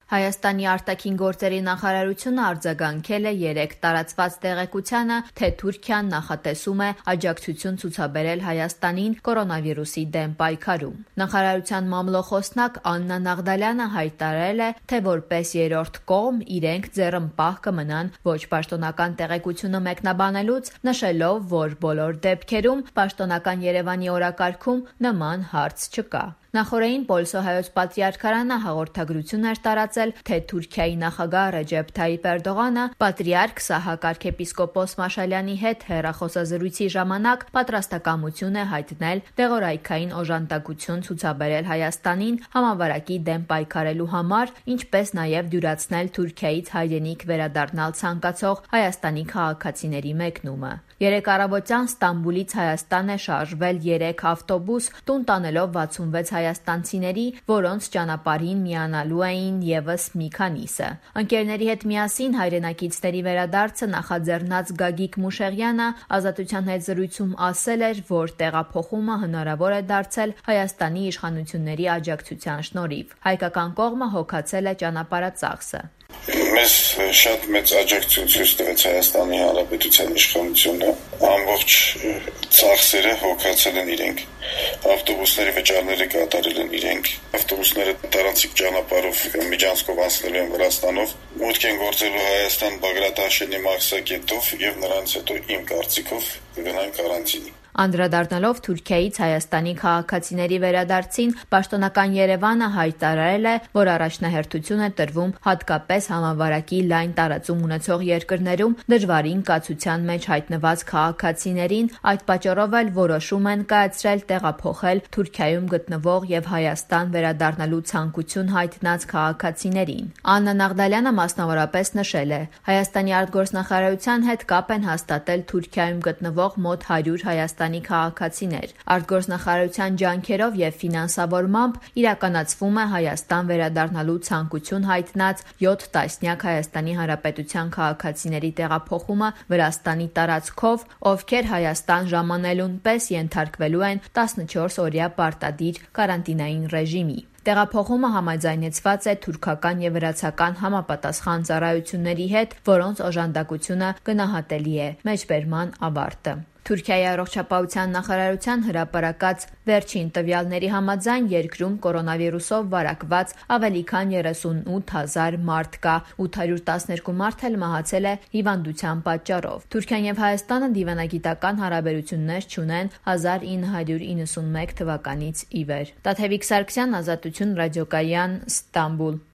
Հայաստանի արտաքին գործերի նախարարությունը արձագանքել է 3 տարածված տեղեկությանը, թե Թուրքիան նախատեսում է աջակցություն ցուցաբերել Հայաստանին կորոնավիրուսի դեմ պայքարում։ Նախարարության մամլոխոսնակ Աննա Նաղդալյանը հայտարարել է, թե որպես երրորդ կողմ իրենք ձեռնպահ կմնան ոչ պաշտոնական տեղեկությունը մեկնաբանելուց, նշելով, որ բոլոր դեպքերում պաշտոնական Երևանի օրակարգում նման հարց չկա։ Նախորդին Պոլսո հայոց պատրիարքարանը հաղորդագրություն էր տարածել, թե Թուրքիայի նախագահ Ռեջեփ Թայիփ Էրդողանը պատրիարք Սահակ arczepiskopos Մաշալյանի հետ հեռախոսազրույցի ժամանակ պատրաստակամություն է հայտնել դեղորայքային օժանդակություն ցուցաբերել Հայաստանին համավարակի դեմ պայքարելու համար, ինչպես նաև դյուրացնել Թուրքիայից հայրենիք վերադառնալ ցանկացող Հայաստանի քաղաքացիների մեկնումը։ 3 առավոտյան Ստամբուլից Հայաստան է շարժվել 3 ավտոբուս, տուն տանելով 66 հայաստանցիների, որոնց ճանապարհին միանալու էին ևս մի քանիսը։ Ընկերների հետ միասին հայրենակիցների վերադարձը նախաձեռնած Գագիկ Մուշեղյանը Ազատության հետ զրույցում ասել էր, որ տեղափոխումը հնարավոր է դարձել Հայաստանի իշխանությունների աջակցության շնորհիվ։ Հայկական կողմը հոգացել է ճանապարհածախսը։ Մեզ շատ մեծ աջակցություն ցույց տվեց Հայաստանի Հանրապետության իշխանությունը, ամբողջ ծախսերը հոգացել են իրենք, ավտոբուսների վճարները կատարել են իրենք, ավտոբուսները տարանցիկ ճանապարհով միջանցքով անցնելու են Վրաստանով, մուտք են գործելու Հայաստան Բագրատ Հաշենի մաքսակետով եւ նրանց հետո իմ կարծիքով կգնան կարանտինի։ Անդրադառնալով Թուրքիայից Հայաստանի քաղաքացիների վերադարձին, պաշտոնական Երևանը հայտարարել է, որ առաջնահերթություն է տրվում հատկապես համավարակի լայն տարածում ունեցող երկրներում դժվարին կացության մեջ հայտնված քաղաքացիներին, այդ պատճառով էլ որոշում են կայացրել տեղափոխել Թուրքիայում գտնվող եւ Հայաստան վերադառնալու ցանկություն հայտնած քաղաքացիներին։ Աննա Նաղդալյանը մասնավորապես նշել է, Հայաստանի արտգործնախարարության հետ կապ են հաստատել Թուրքիայում գտնվող մոտ 100 Հայաստանի քաղաքացիներ։ Արտգործնախարարության ջանքերով եւ ֆինանսավորմամբ իրականացվում է Հայաստան վերադառնալու ցանկություն հայտնած 7 տասնյակ Հայաստանի Հանրապետության քաղաքացիների տեղափոխումը Վրաստանի տարածքով, ովքեր Հայաստան ժամանելուն պես ենթարկվելու են 14-օրյա պարտադիր կարանտինային ռեժիմի։ Տեղափոխումը համաձայնեցված է թուրքական եւ վրացական համապատասխան ծառայությունների հետ, որոնց օժանդակությունը գնահատելի է։ Մեջբերման ավարտը։ Թուրքիայի առողջապահության նախարարության հրապարակած վերջին տվյալների համաձայն երկրում կորոնավիրուսով վարակված ավելի քան 38,000 մարդ կա, 812 մարդ էլ մահացել է հիվանդության պատճառով։ Թուրքիան եւ Հայաստանը դիվանագիտական հարաբերություններ չունեն 1991 թվականից ի վեր։ Տաթևիկ Սարգսյան, Ազատություն ռադիոկայան, Ստամբուլ։